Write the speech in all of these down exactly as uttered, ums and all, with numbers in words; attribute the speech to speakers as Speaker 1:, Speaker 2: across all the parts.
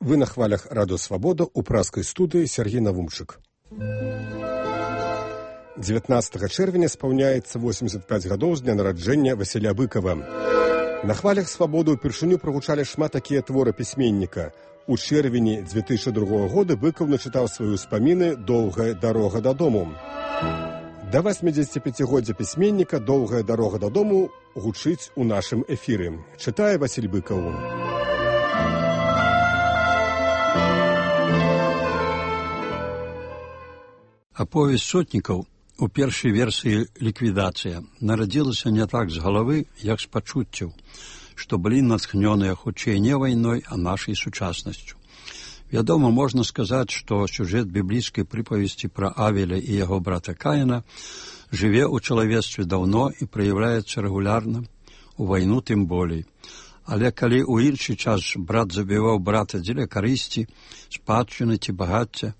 Speaker 1: Вы на хвалях Радио Свобода у праскай студыі Сергей Навумчык. дзевятнаццатага чэрвеня спаўняецца восемьдесят пять гадоў з дня нараджэння Васіля Быкова. На хвалях Свабоды ўпершыню прагучалі шмат такія творы пісьменніка. У чэрвені две тысячи другога года Быкаў начытаў свае ўспаміны «Доўгая дарога дадому». Да восьмидзесятипяцігоддзя пісьменніка «Доўгая дарога дадому» гучыць у нашым эфіры. Чытае Васіль Быкаў.
Speaker 2: Аповесць сотнікаў у першай версіі «Ліквідацыя» нарадзілася не так з галавы, як з пачуццяў, што былі натхнёныя хутчэй не вайной, а нашай сучаснасцю. Вядома, можна сказаць, што сюжэт біблійскай прыпавесці пра Авеля і яго брата Каіна жыве ў чалавецтве даўно і праяўляецца рэгулярна, у вайну тым болей. Але калі ў іншы час брат забіваў брата дзеля карысці, спадчыны ці багацця,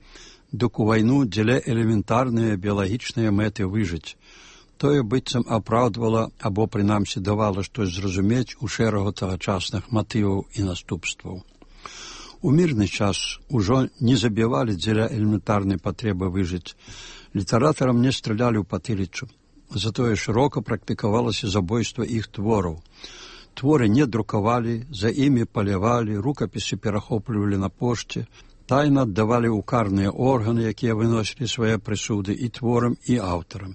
Speaker 2: дык у вайну дзеля элементарныя біялагічныя мэты выжыць. Тое быццам апраўдвала або, прынамсі, давала штось зразумець у шэрагу тагачасных матываў і наступстваў. У мірны час ужо не забівалі дзеля элементарнай патрэбы выжыць. Літаратарам не стралялі ў патыліцу. Затое шырока практыкавалася забойства іх твораў. Творы не друкавалі, за імі палявалі, рукапісы перахоплівалі на пошце, тайна аддавалі ў карныя органы, якія выносілі свае прысуды і творам, і аўтарам.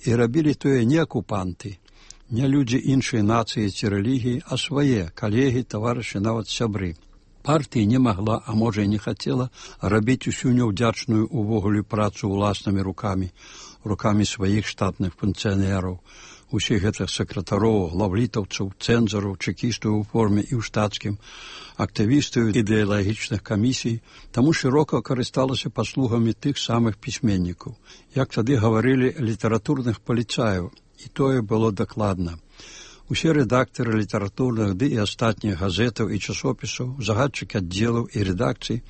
Speaker 2: І рабілі тое не акупанты, не людзі іншай нацыі ці рэлігіі, а свае калегі, таварышы, нават сябры. Партыя не магла, а можа і не хацела, рабіць усю няўдзячную увогуле працу ўласнымі рукамі, рукамі сваіх штатных функцыянераў, усіх гэтых сакратароў, главлітаўцаў, цэнзараў, чэкістаў у форме і ў штатскім, актывістаў ідэалагічных камісій, таму шырока карысталася паслугамі тых самых пісьменнікаў. Як тады гаварылі, літаратурных паліцаяў, і тое было дакладна. Усе рэдактары літаратурных ды і астатніх газетаў і часопісаў, загадчыкі аддзелаў і рэдакцый,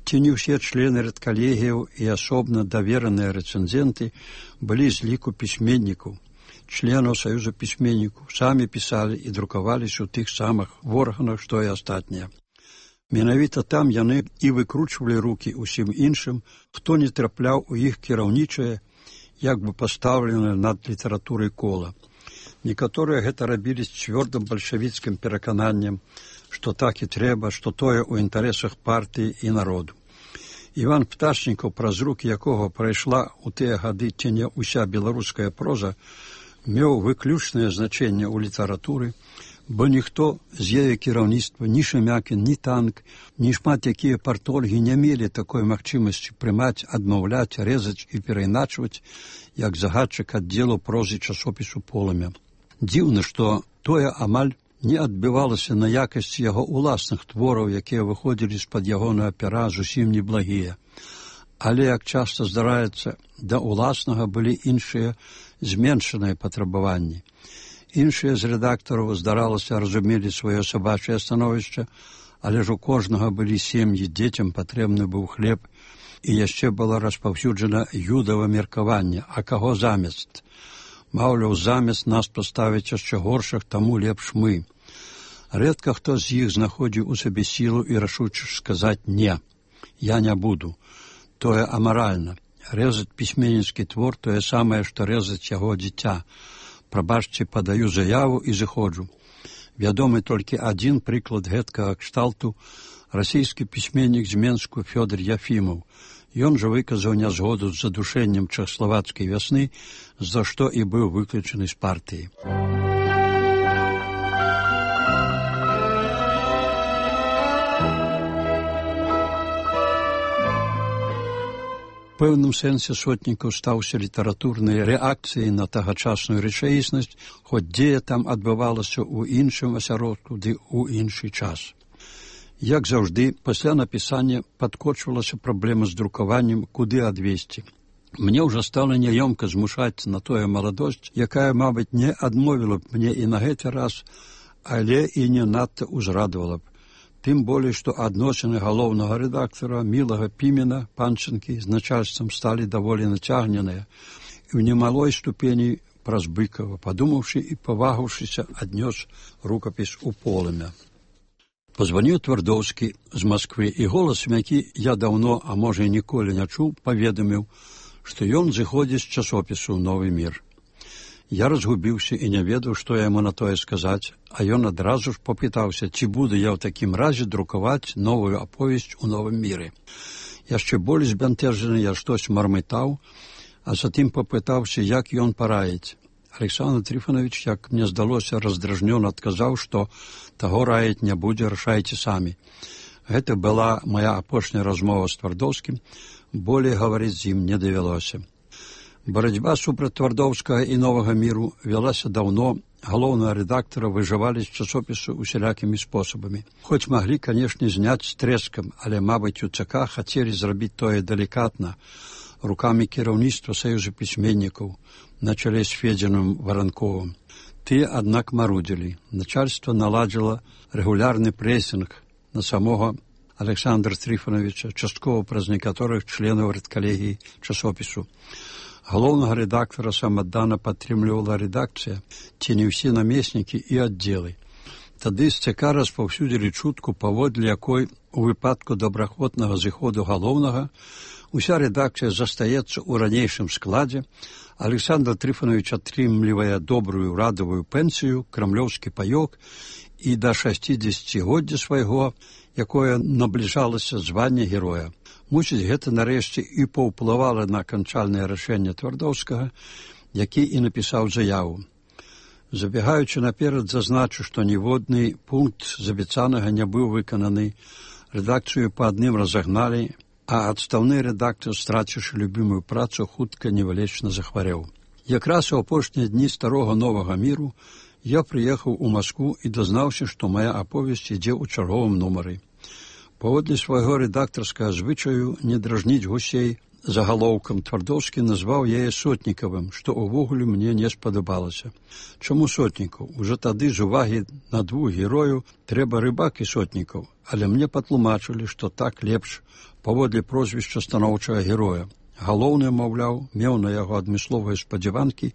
Speaker 2: ці не ўсе члены рэдкалегіяў і асобна давераныя рэцэнзенты былі з ліку пісьменнікаў, членаў Саюза пісьменнікаў, самі пісалі і друкаваліся ў тых самых органах, што і астатнія. Менавіта там яны і выкручвалі рукі ўсім іншым, хто не трапляў у іх кіраўнічае, як бы пастаўленае над літаратурай кола. Некаторыя гэта рабілі з цвёрдым бальшавіцкім перакананнем, што так і трэба, што тое ў інтарэсах партыі і народу. Іван Пташнікаў, праз рукі якога прайшла ў тыя гады ці не ўся беларуская проза, меў выключнае значэнне ў літаратуры, бо ніхто з яе кіраўніцтва, ні Шемякін, ні Танк, ні шмат якія партольгі не мелі такой магчымасці прымаць, адмаўляць, рэзаць і перайначваць, як загадчык аддзелу прозы часопісу «Полымя». Дзіўна, што тое амаль не адбівалася на якасці яго ўласных твораў, якія выходзілі з-пад ягонага пера зусім неблагія. Але, як часта здараецца, да ўласнага былі іншыя зменшаныя патрабаванні. Іншыя з рэдактараў, здаралася, разумелі сваё сабачае становішча, але ж у кожнага былі сем'і, дзецям патрэбны быў хлеб, і яшчэ было распаўсюджана юдава меркаванне, а каго замест? Маўляў, замест нас паставіць яшчэ горшых, таму лепш мы. Рэдка хто з іх знаходзіў у сабе сілу і рашуча сказаць «не, я не буду». Тое амаральна. Рэзаць пісьменніцкі твор тое самае, што рэзаць яго дзіця. Прабачце, падаю заяву і зыходжу. Вядомы толькі адзін прыклад гэткага кшталту – расійскі пісьменнік з Менску Фёдор Яфімаў. Ён жа выказаў нязгоду з задушэннем чэхаславацкай вясны, за што і быў выключаны з партыі. У пэўным сэнсе сотнікаў стаўся літаратурнай рэакцыяй на тагачасную рэчаіснасць, хоць дзея там адбывалася ў іншым асяродку ды ў іншы час. Як заўжды, пасля напісання падкочвалася праблема з друкаваннем, куды адвесці. Мне ўжо стала няёмка змушаць на тое маладосць, якая, мабыць, не адмовіла б мне і на гэты раз, але і не надта ўзрадавала б. Тым болей, што адносіны галоўнага рэдактара Мілага Пімена, Панчынкі, з начальствам сталі даволі нацягненыя і ў немалой ступені праз Быкава, падумаўшы і павагаўшыся, аднёс рукапіс у Полымя. Позваніў Твардоўскі з Масквы, і голасам, які я даўно, а можа і ніколі не чуў, паведаміў, што ён зыходзіць з часопісу «Новы мір». Я разгубіўся і не ведаў, што я яму на тое сказаць, а ён адразу ж попытаўся, ці буду я ў такім разе друкаваць новую аповесць у «Новым міры». Яшчэ больш збянтэжаны я штось мармытаў, а затым попытаўся, як ён параіць. Александр Трифонович, як мне здалося, раздражнёна адказаў, што таго раіць не будзе, рашайце самі. Гэта была моя апошняя размова з Твардоўскім, болей гаварыць з ім не давялося. Барацьба супраць Твардоўскага і «Новага міру» вялася даўно, галоўнага рэдактара выжывалі з часопісу усялякімі спосабамі. Хоць маглі, канешне, зняць з трэскам, але, мабыць, у ЦК хацелі зрабіць тое далікатна, рукамі кіраўніцтва Саюза пісьменнікаў на чале з Федзяным Варанковым. Тыя, аднак, марудзілі. Начальство наладзіла рэгулярны прэсінг на самога Александра Трифоновича, часткова праз некаторых членаў рэдкалегіі часопісу. Галоўнага рэдактара самаддана падтрымлівала рэдакцыя, ці не ўсе намеснікі і аддзелы. Тады з ЦК распаўсюдзілі чутку, паводле якой у выпадку добраахвотнага зыходу галоўнага уся рэдакцыя застаецца ў ранейшым складзе, Александр Трифонович атрымлівае добрую радавую пенсію, крамлёўскі паёк і да шасцідзесяцігоддзя свайго, якое набліжалася звання героя. Мусіць, гэта нарэшце і паўплывала на аканчальнае рашэнне Твардоўскага, які і напісаў заяву. Забегаючы наперад, зазначу, што ніводны пункт з абяцанага не быў выкананы, рэдакцыю па адным разагналі, а адстаўны рэдактар, страціўшы любімую працу, хутка невылечна захварэў. Якраз у апошнія дні старога «Новага міру» я прыехаў у Маскву і дазнаўся, што мая аповесць ідзе ў чарговым нумары. Паводле свайго рэдактарскага звычаю не дражніць гусей загалоўкам, Твардоўскі назваў яе Сотнікавым, што ўвогуле мне не спадабалася. Чаму Сотнікаў? Ужо тады з увагі на двух герою трэба Рыбак і Сотнікаў, але мне патлумачылі, што так лепш паводле прозвішча станоўчага героя. Галоўны, маўляў, меў на яго адмысловыя спадзяванкі,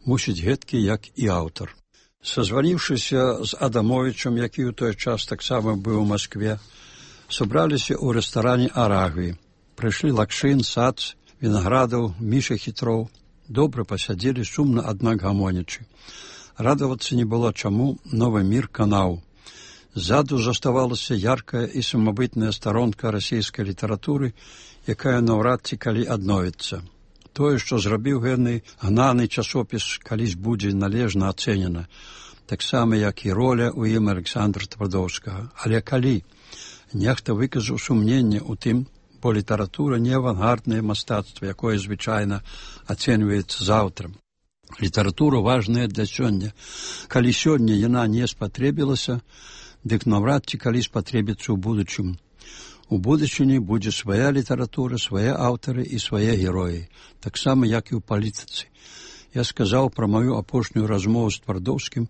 Speaker 2: мусіць гэткі, як і аўтар. Сазваніўшыся з Адамовічам, які ў той час таксама быў у Маскве, сабраліся ў рэстаране «Арагві». Прыйшлі Лакшын, Сац, Вінаградаў, Міша Хітроў. Добра пасядзелі, сумна, аднак гамонячы. Радавацца не было чаму, «Новы мір» канаў. Ззаду заставалася яркая і самабытная старонка расійскай літаратуры, якая наўрад ці калі адновіцца. Тое, што зрабіў гэны гнаны часопіс, калісь будзе належна ацэнена, таксама, як і роля ў ім Александра Твардоўскага. Але калі? Нехта выказаў сумненне ў тым, бо літаратура не авангарднае мастацтва, якое звычайна ацэньваецца заўтра. Літаратура важная для сёння. Калі сёння яна не спатрэбілася, дык наўрад ці калі спатрэбіцца ў будучым. У будучыні будзе свая літаратура, свае аўтары і свае героі, таксама, як і ў палітыцы. Я сказаў пра маю апошнюю размову з Твардоўскім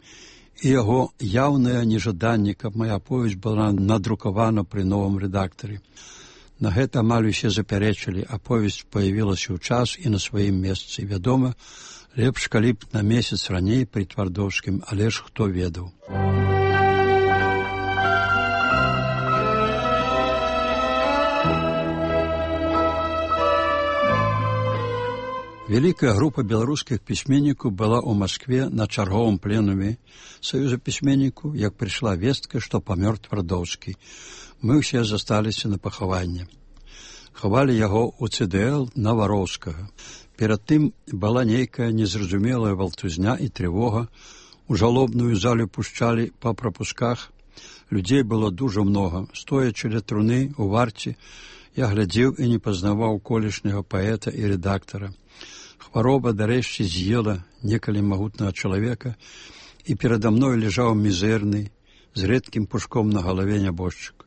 Speaker 2: і яго яўнае нежаданне, каб моя аповесць была надрукавана пры новым рэдактары. На гэта амаль усе запярэчылі, аповесць паявілася ў час і на сваім месцы. Вядома, лепш, калі б на месяц раней пры Твардоўскім, але ж хто ведаў. Вялікая група беларускіх пісьменнікаў была ў Маскве на чарговым пленуме Саюза пісьменнікаў, як прыйшла вестка, што памёр Твардоўскі. Мы ўсе засталіся на пахаванне. Хавалі яго ў цэ дэ эл на Вароўскага. Перад тым была нейкая незразумелая валтузня і трывога. У жалобную залю пушчалі па прапусках. Людзей было дужа многа. Стоячы ля труны у варце, я глядзеў і не пазнаваў колішняга паэта і рэдактара. Хвароба, дарэшце, з'ела некалі магутнага чалавека, і перада мной ляжаў мізэрны, з рэдкім пушком на галаве нябожчык.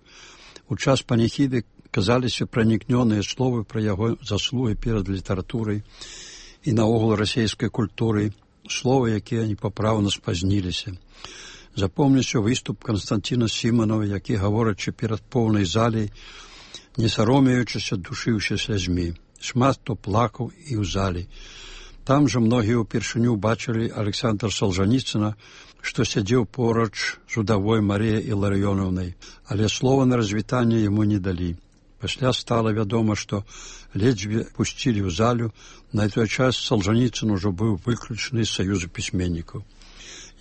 Speaker 2: У час паніхіды казаліся пранікнёныя словы пра яго заслугі перад літаратурай і наогул расійскай культурай, словы, якія непапраўна спазніліся. Запомніўся выступ Канстанціна Сіманова, які, гаворачы перад поўнай залей, не саромеючыся, душыўся слязьмі. Шмат хто плакаў і ў залі. Там жа многія ўпершыню бачылі Александра Солжаніцына, што сядзеў поруч з удавой Марыяй Іларыёнаўнай, але слова на развітанне яму не далі. Пасля стала вядома, што ледзьве пусцілі ў залю, на той час Солжаніцын ужо быў выключаны з саюзу пісьменнікаў.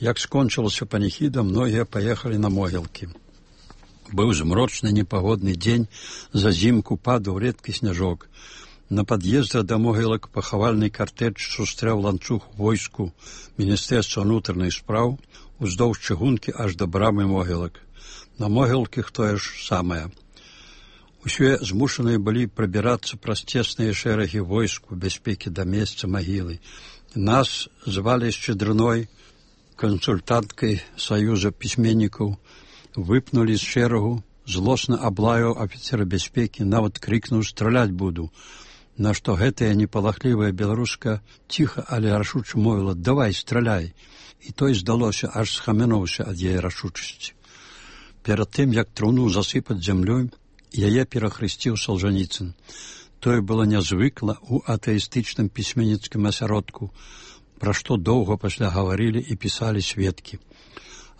Speaker 2: Як скончылася паніхіда, многія паехалі на могілкі. Быў змрочны непагодны дзень, зазімку падаў рэдкі сняжок. На пад'ездзе да могілак пахавальны картэж сустрэў ланцуг войску Міністэрства ўнутраных спраў уздоўж чыгункі аж да брамы могілак. На могілках тое ж самае. Усе змушаныя былі прабірацца праз цесныя шэрагі войск у бяспекі да месца магілы. Нас звалі Шчедрыной, кансультанткай Саюза пісьменнікаў, выпнулі з шэрагу, злосна аблаяў афіцера бяспекі, нават крыкнуў «Страляць буду», на што гэтая непалахлівая беларуска ціха, але рашуча мовіла «Давай, страляй», і той, здалося, аж схамянуўся ад яе рашучасці. Перад тым, як труну засыпаць зямлёй, яе перахрысціў Солжаніцын. Тое было нязвыкла ў атэістычным пісьменніцкім асяродку, пра што доўга пасля гаварылі і пісалі сведкі.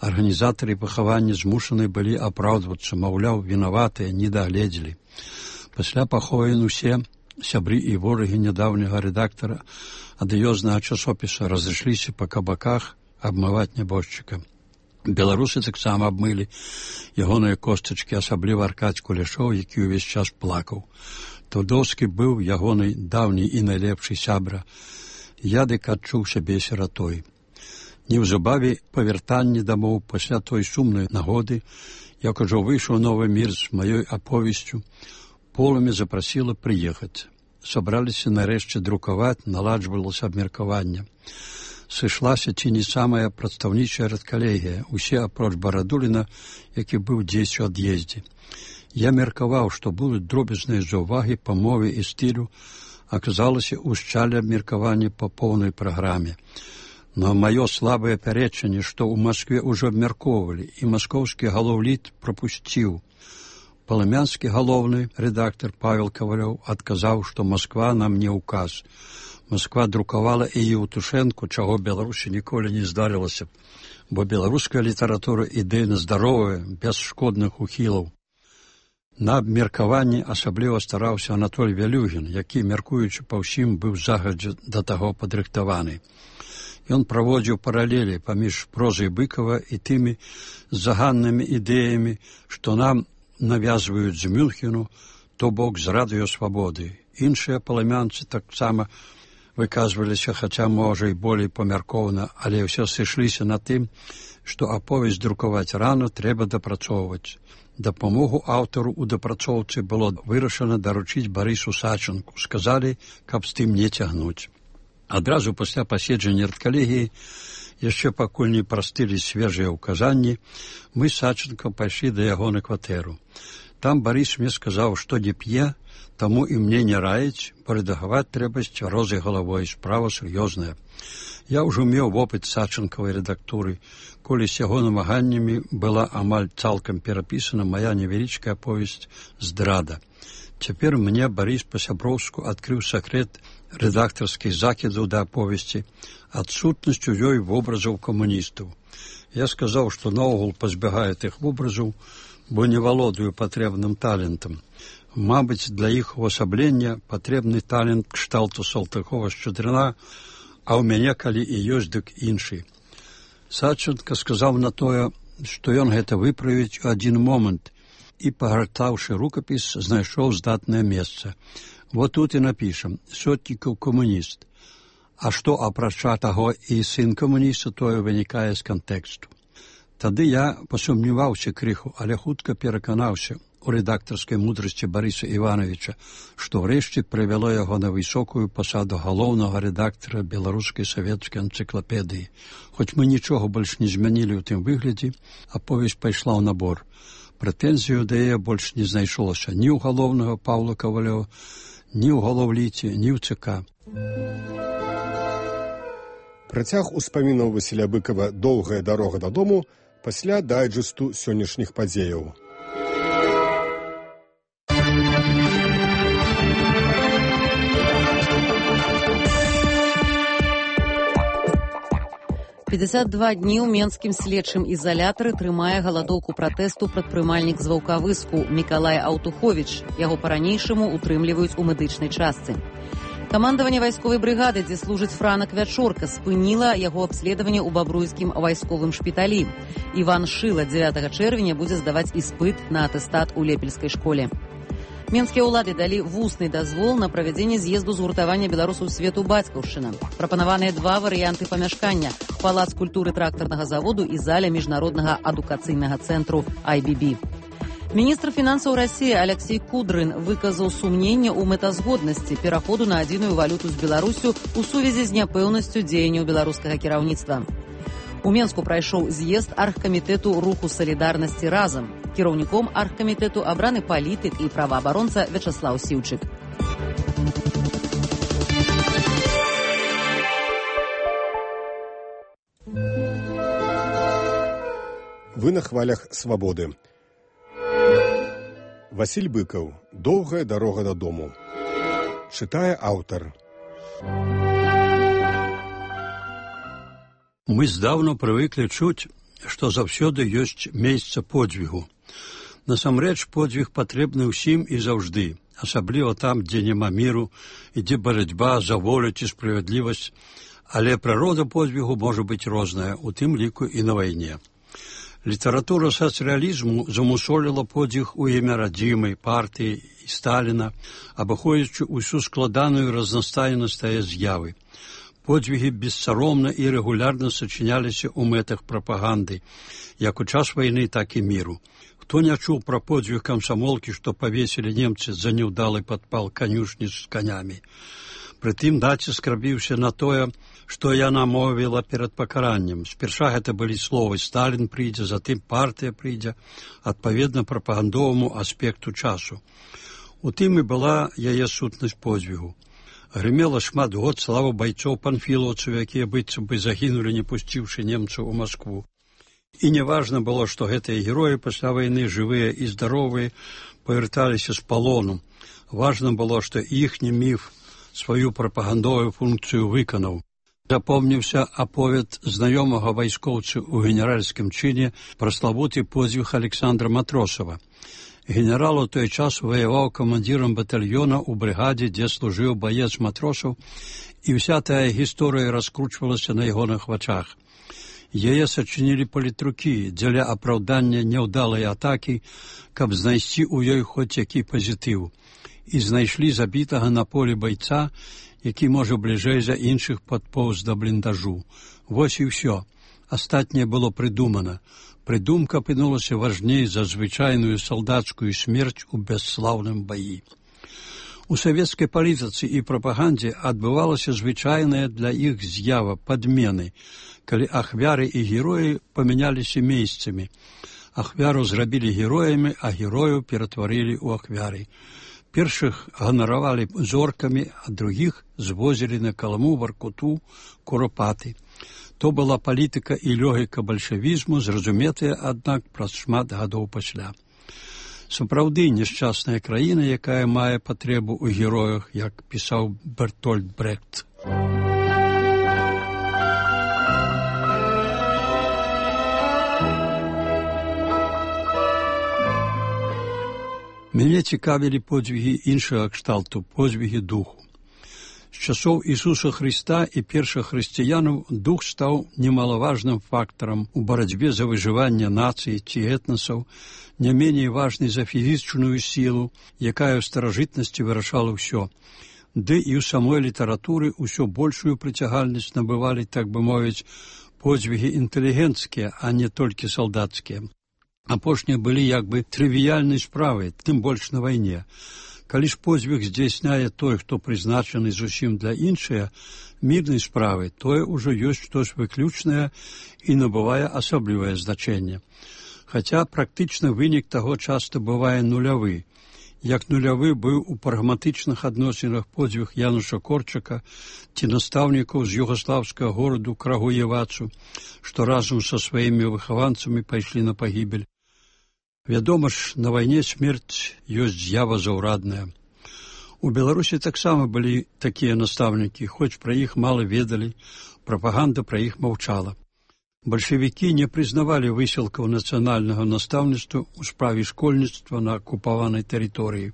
Speaker 2: Арганізатары пахавання змушаны былі апраўдвацца, маўляў, вінаватыя, не дагледзелі. Пасля пахован усе сябры і ворагі нядаўняга рэдактара адыёзнага часопіса разышліся па кабаках абмываць нябожчыка. Беларусы таксама абмылі ягоныя костачкі, асабліва Аркадзь Кулешоў, які ўвесь час плакаў. Твардоўскі быў ягонай даўні і найлепшы сябра. Я дык адчуў сябе сіратой. Неўзабаве па вяртанні дамоў пасля той сумнай нагоды, як ужо выйшаў новы мір з маёй аповесцю, Полымя запрасіла прыехаць. Сабраліся нарэшце друкаваць, наладжвалася абмеркаванне. Сышлася ці не самая прадстаўнічая рэдкалегія, усе апроч Барадуліна, які быў дзесь у ад'ездзе. Я меркаваў, што будуць дробязныя заўвагі па мове і стылю, аказалася ўшчалі абмеркаванне па поўнай праграме. Но маё слабае пярэчанне, што ў Маскве ўжо абмяркоўвалі, і маскоўскі галоўліт прапусціў. Палымянскі галоўны рэдактар Павел Кавалёў адказаў, што Масква нам не ўказ. Масква друкавала і Еўтушэнку, чаго Беларусі ніколі не здарылася, бо беларуская літаратура ідэйна здаровая, без шкодных ухілаў. На абмеркаванні асабліва стараўся Анатоль Вялюгін, які, мяркуючы па ўсім, быў загадзя да таго падрыхтаваны. Ён праводзіў паралелі паміж прозай Быкава і тымі заганнымі ідэямі, што нам навязваюць з Мюнхену, то бок з радыёсвабоды. Іншыя палымянцы таксама выказваліся, хаця, можа, і болей памяркоўна, але ўсё сышліся на тым, што аповесць друкаваць рано трэба дапрацоўваць. Дапамогу аўтару ў дапрацоўцы было вырашана даручыць Барысу Сачынку. Сказалі, каб з тым не цягнуць. Адразу пасля паседжання рэдкалегіі, яшчэ пакуль не прастылі свежыя ўказанні, мы з Сачынкам пайшлі да яго на кватэру. Там Барыс мне сказаў, што не п'е, таму і мне не раіць, бо рэдагаваць трэба з цвярозай галавой, справа сур'ёзная. Я ўжо меў вопыт Сачынкавай рэдактуры, колі з яго намаганнямі была амаль цалкам перапісана мая невялічкая аповесць «Здрада». Цяпер мне Барыс па-сяброўску адкрыў сакрэт рэдактарскіх закідаў да аповесці, адсутнасць у ёй вобразаў камуністаў. Я сказаў, што наогул пазбягаю тых вобразаў, бо не валодаю патрэбным талентам. Мабыць, для іх увасаблення патрэбны талент кшталту Салтыкова-Шчедрына, а ў мяне, калі і ёсць, дык іншы. Сачынка сказаў на тое, што ён гэта выправіць у адзін момант і, пагартаўшы рукапіс, знайшоў здатнае месца. Вот тут і напішам «Сотнікаў камуніст». А што, апрача таго, і сын камуніста, тое вынікае з кантэксту. Тады я пасумніваўся крыху, але хутка пераканаўся у рэдактарскай мудрасці Барыса Івановича, што ўрэшце прывяло яго на высокую пасаду галоўнага рэдактара беларускай савецкай энцыклапедыі. Хоць мы нічога больш не змянілі ў тым выглядзе, аповесць пайшла ў набор. Прэтэнзію да яе больш не знайшлося ні ў галоўнага Паўла Кавалёва, ні ў галоўліце, ні ў ЦК.
Speaker 1: Працяг успамінаў Васіля Быкава «Доўгая дарога дадому» пасля дайджэсту сённяшніх падзеяў.
Speaker 3: пятьдесят два дні ў менскім следчым ізалятары трымае галадоўку пратэсту прадпрымальнік з Ваўкавыску Мікалай Аўтуховіч. Яго па-ранейшаму утрымліваюць у медычнай частцы. Камандаванне вайсковай брыгады, дзе служыць Франак Вячорка, спыніла яго абследаванне ў бабруйскім вайсковым шпіталі. Іван Шыла дзевятага чэрвеня будзе здаваць іспыт на атэстат у Лепельскай школе. Менскія ўлады далі вусны дазвол на правядзенне з'езду згуртавання беларусаў свету бацькаўшчына. Прапанаваныя два варыянты памяшкання: палац культуры трактарнага заводу і заля міжнароднага адукацыйнага цэнтру ай би би. Міністр фінансаў Расіі Алексей Кудрын выказаў сумненне ў мэтазгоднасці пераходу на адзіную валюту з Беларусю ў сувязі з няпэўнасцю дзеянняў беларускага кіраўніцтва. У Менску прайшоў з'езд аргкамітэту руху салідарнасці разам. Кіраўніком аргкамітэту абраны палітык і праваабаронца Вячаслаў Сіўчык.
Speaker 1: Вы на хвалях свабоды. Васіль Быкаў. Доўгая дарога дадому. Чытае аўтар.
Speaker 2: Мы здаўна прывыклі чуць, што заўсёды ёсць месца подзвігу. Насамрэч, подзвіг патрэбны ўсім і заўжды, асабліва там, дзе няма міру, ідзе барацьба за волю ці справядлівасць, але прырода подзвігу можа быць розная, у тым ліку і на вайне. Літаратура сацыялізму замусоліла подзвіг у імя радзімай, партыі і Сталіна, абыходзячы ўсю складаную разнастайнасць тае з'явы. Подзвігі бессаромна і рэгулярна сачыняліся ў мэтах прапаганды, як у час вайны, так і міру. Хто не чуў пра подзвіг камсамолкі, што павесілі немцы за няўдалы падпал канюшні з канямі? Прытым націск рабіўся на тое, што яна мовіла перад пакараннем. Спярша гэта былі словы «Сталін прыйдзе», затым «партыя прыйдзе», адпаведна прапагандоваму аспекту часу. У тым і была яе сутнасць подзвігу. Грымела шмат год слава байцоў панфілаўцаў, якія быццам бы загінулі, не пусціўшы немцаў у Маскву. І неважна было, што гэтыя героі пасля вайны, жывыя і здаровыя, павярталіся з палону. Важна было, што іхні міф сваю прапагандовую функцыю выканаў. Запомніўся аповед знаёмага вайскоўцы ў генеральскім чыне пра славуты подзвіг Александра Матросава. Генерал у той час ваяваў камандзірам батальёна ў брыгадзе, дзе служыў баец Матросаў, і ўся тая гісторыя раскручвалася на ягоных вачах. Яе сачынілі палітрукі дзеля апраўдання няўдалай атакі, каб знайсці ў ёй хоць які пазітыў. І знайшлі забітага на полі байца, які, можа, бліжэй за іншых падпоўз да бліндажу. Вось і ўсё. Астатняе было прыдумана. Прыдумка апынулася важней за звычайную салдацкую смерць у бясслаўным баі. У савецкай палітыцы і прапагандзе адбывалася звычайная для іх з'ява падмены, калі ахвяры і героі памяняліся месцамі. Ахвяру зрабілі героямі, а герою ператварылі ў ахвяры. Першых ганаравалі зоркамі, а другіх звозілі на Каламу, Варкуту, Куропаты. То была палітыка і логіка бальшавізму, зразуметая, аднак, праз шмат гадоў пасля. Сапраўды няшчасная краіна, якая мае патрэбу ў героях, як пісаў Бертольд Брехт. Мяне цікавілі подзвігі іншага кшталту, подзвігі духу. З часоў Ісуса Хрыста і першых хрысціянаў дух стаў немалаважным фактарам у барацьбе за выжыванне нацыі ці этнасаў, не меней важнай за фізічную сілу, якая ў старажытнасці вырашала ўсё. Ды і ў самой літаратуры ўсё большую прыцягальнасць набывалі, так бы мовіць, подзвігі інтэлігенцкія, а не толькі салдацкія. Апошнія былі як бы трывіяльнай справай, тым больш на вайне. Калі ж подзвіг здзяйсняе той, хто прызначаны зусім для іншыя мірнай справы, тое ўжо ёсць штось выключнае і набывае асаблівае значэнне. Хаця практычна вынік таго часта бывае нулявы. Як нулявы быў у прагматычных адносінах подзвіг Януша Корчака ці настаўнікаў з югаслаўскага гораду Крагуевацу, што разам са сваімі выхаванцамі пайшлі на пагібель. Вядома ж, на вайне смерць ёсць з'ява заўрадная. У Беларусі таксама былі такія настаўнікі, хоць пра іх мала ведалі, прапаганда пра іх маўчала. Бальшавікі не прызнавалі высілкаў нацыянальнага настаўніцтва ў справе школьніцтва на акупаванай тэрыторыі.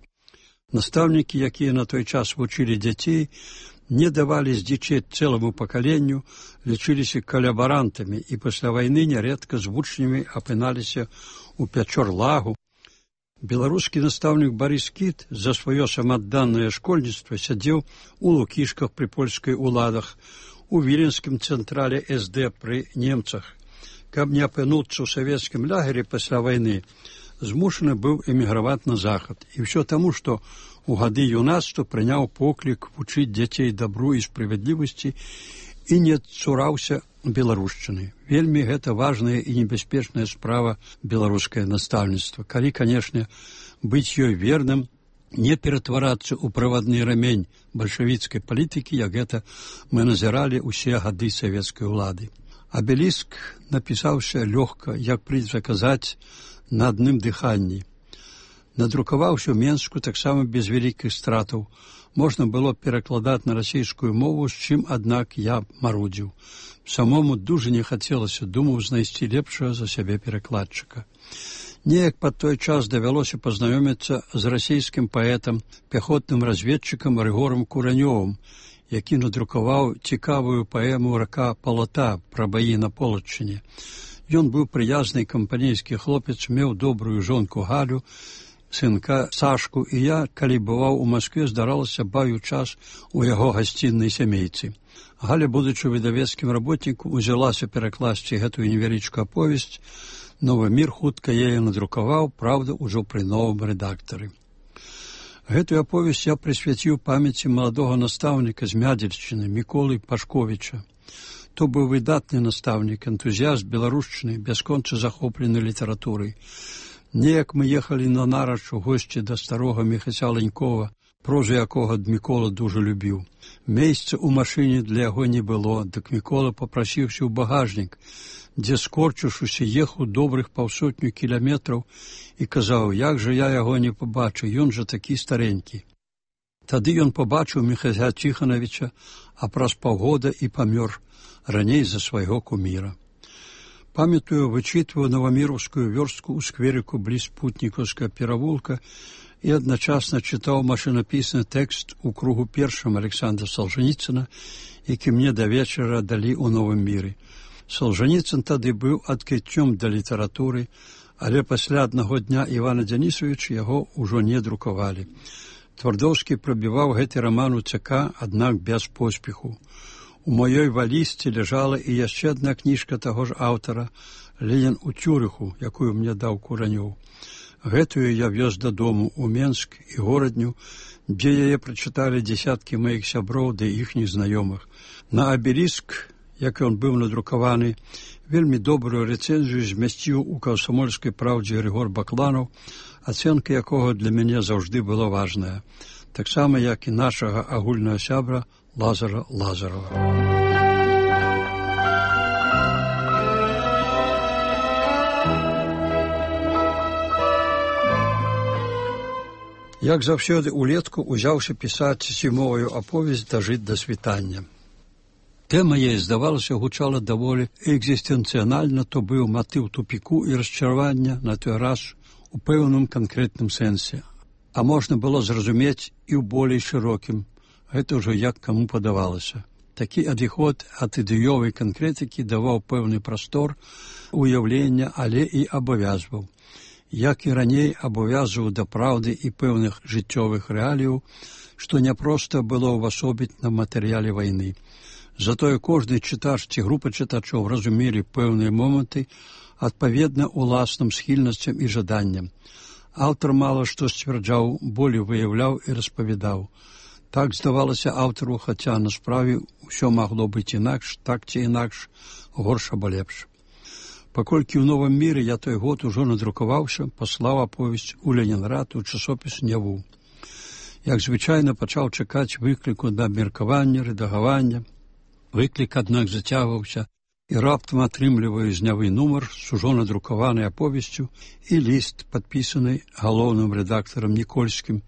Speaker 2: Настаўнікі, якія на той час вучылі дзяцей, не давалі здзічець цэламу пакаленню, лічыліся калабарантамі і пасля вайны нярэдка з вучнямі апыналіся ў пячор-лагу. Беларускі настаўнік Барыс Кіт за сваё самаадданае школьніцтва сядзеў у Лукішках пры польскай уладах, у віленскім цэнтрале эс дэ пры немцах. Каб не апынуцца ў савецкім лагеры пасля вайны, змушаны быў эміграваць на захад. І ўсё таму, што у гады юнацтва прыняў поклік вучыць дзяцей дабру і справядлівасці і не цураўся беларушчыны. Вельмі гэта важная і небяспечная справа беларускае настаўніцтва. Калі, канешне, быць ёй верным, не ператварацца ў правадны рамень бальшавіцкай палітыкі, як гэта мы назіралі ўсе гады савецкай улады. Абеліск напісаўся лёгка, як прынята казаць, на адным дыханні. Надрукаваўся ў Менску таксама без вялікіх стратаў. Можна было перакладаць на расійскую мову, з чым, аднак, я марудзіў. Самому дужа не хацелася, думаў, знайсці лепшага за сябе перакладчыка. Неяк пад той час давялося пазнаёміцца з расійскім паэтам, пяхотным разведчыкам Рыгорам Куранёвым, які надрукаваў цікавую паэму «Рака Палата» пра баі на Полаччыне. Ён быў прыязны кампанейскі хлопец, меў добрую жонку Галю, сынка Сашку, і я, калі бываў у Маскве, здаралася баю час у яго гасціннай сямейцы. Галя, будучы выдавецкім работнікам, узялася перакласці гэтую невялічкую аповесць. «Новы мір» хутка яе надрукаваў, правда, ужо пры новым рэдактары. Гэтую аповесць я прысвяціў памяці маладога настаўніка з Мядзельшчыны Міколы Пашковіча. То быў выдатны настаўнік, энтузіяст беларушчыны, бясконца захоплены літаратурай. Неяк мы ехалі на нарач у госці да старога Міхася Ленькова, прозу якога Мікола дужа любіў. Месца ў машыне для яго не было, дык Мікола папрасіўся ў багажнік, дзе, скорчыўшыся, ехаў добрых паўсотню кіляметраў і казаў, як жа я яго не пабачу, ён жа такі старенькі. Тады ён пабачыў Міхася Ціханавіча, а праз паўгода і памёр, раней за свайго куміра. Памятаю, вычытваю новаміраўскую вёрстку ў скверыку бліз Путнікаўскага перавулка і адначасна чытаў машынапісны тэкст у кругу першым Александра Салжаніцына, які мне да вечара далі ў Новым міры. Солжаніцын тады быў адкрыццём да літаратуры, але пасля аднаго дня Івана Дзянісавіча яго ўжо не друкавалі. Твардоўскі прабіваў гэты раман у ЦК, аднак без поспеху. У маёй валізцы ляжала і яшчэ адна кніжка таго ж аўтара «Ленін у Цюрыху», якую мне даў Куранёў. Гэтую я вёз дадому ў Менск і горадню, дзе яе прачыталі дзесяткі маіх сяброў ды іхніх знаёмых. На абеліск, як ён быў надрукаваны, вельмі добрую рэцэнзію змясціў у «Камсамольскай праўдзе» Григор Бакланаў, ацэнка якога для мяне заўжды была важная, таксама як і нашага агульнага сябра Лазара Лазарова. Як заўсёды улетку узяўся пісаць зімовую аповесць «Дажыць да світання». Тэма яе, здавалася, гучала даволі экзістэнцыянальна, то быў матыў тупіку і расчаравання на той раз у пэўным канкрэтным сэнсе. А можна было зразумець і ў болей шырокім. Гэта ўжо як каму падавалася. Такі адыход ад ідэёвай канкрэтыкі даваў пэўны прастор уяўлення, але і абавязваў. Як і раней абавязваў да праўды і пэўных жыццёвых рэаліяў, што няпроста было ўвасобіць на матэрыяле вайны. Затое кожны чытач ці група чытачоў разумелі пэўныя моманты адпаведна уласным схільнасцям і жаданням. Аўтар мала што сцвярджаў, болей выяўляў і распавядаў. Так здавалася аўтару, хаця на справе ўсё магло быць інакш, так ці інакш, горш або лепш. Паколькі ў Новым міры я той год ужо надрукаваўся, паслаў аповесць у Ленінград у часопіс «Няву». Як звычайна, пачаў чакаць выкліку да абмеркавання, рэдагавання. Выклік, аднак, зацягваўся, і раптам атрымліваю з Нявы нумар з ужо надрукаванай аповесцю і ліст, падпісаны галоўным рэдактарам Нікольскім,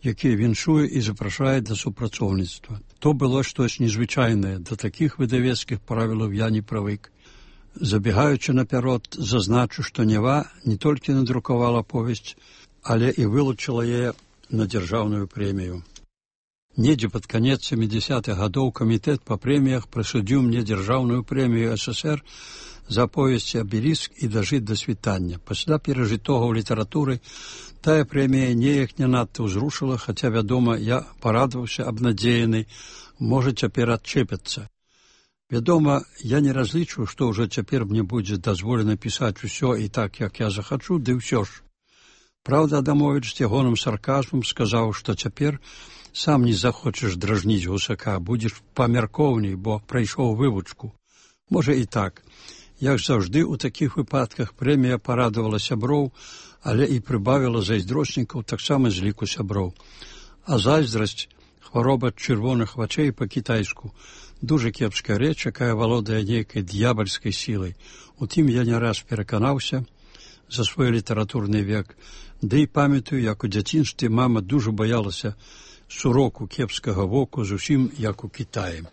Speaker 2: які віншуе і запрашае да супрацоўніцтва. То было штось незвычайнае, да такіх выдавецкіх правілаў я не прывык. Забегаючы наперад, зазначу, што Нева не толькі надрукавала повесць, але і вылучыла яе на дзяржаўную прэмію. Недзе пад канец сямідзясятых гадоў камітэт па прэміях прысудзіў мне дзяржаўную прэмію СССР за повесці «Абеліск» і «Дажыць да світання». Пасля перажытога ў літаратуры тая прэмія неяк не надта ўзрушыла, хаця, вядома, я парадаваўся абнадзеяны, можа, цяпер адчэпяцца. Вядома, я не разлічваю, што ўжо цяпер мне будзе дазволена пісаць усё і так, як я захачу, ды ўсё ж. Праўда, Адамовіч з ягоным сарказмам сказаў, што цяпер сам не захочаш дражніць гусака, будзеш памяркоўней, бо прайшоў вывучку. Можа і так. Як заўжды, у такіх выпадках прэмія парадавала сяброў, але і прыбавіла зайздроснікаў таксама з ліку сяброў. А зайздрасць, хвароба чырвоных вачэй па-кітайску, дуже кепская рэч, якая валодае нейкай д'ябальскай сілай. Утым я не раз пераканаўся за свой літаратурны век, ды і памятаю, як у дзяцінстве мама дуже баялася суроку кепскага воку, зусім як у Кітаі.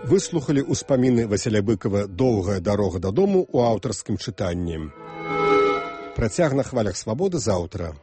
Speaker 1: Выслухалі ўспаміны Васіля Быкава «Доўгая дарога дадому» у аўтарскім чытанні. Працяг на хвалях свабоды заўтра.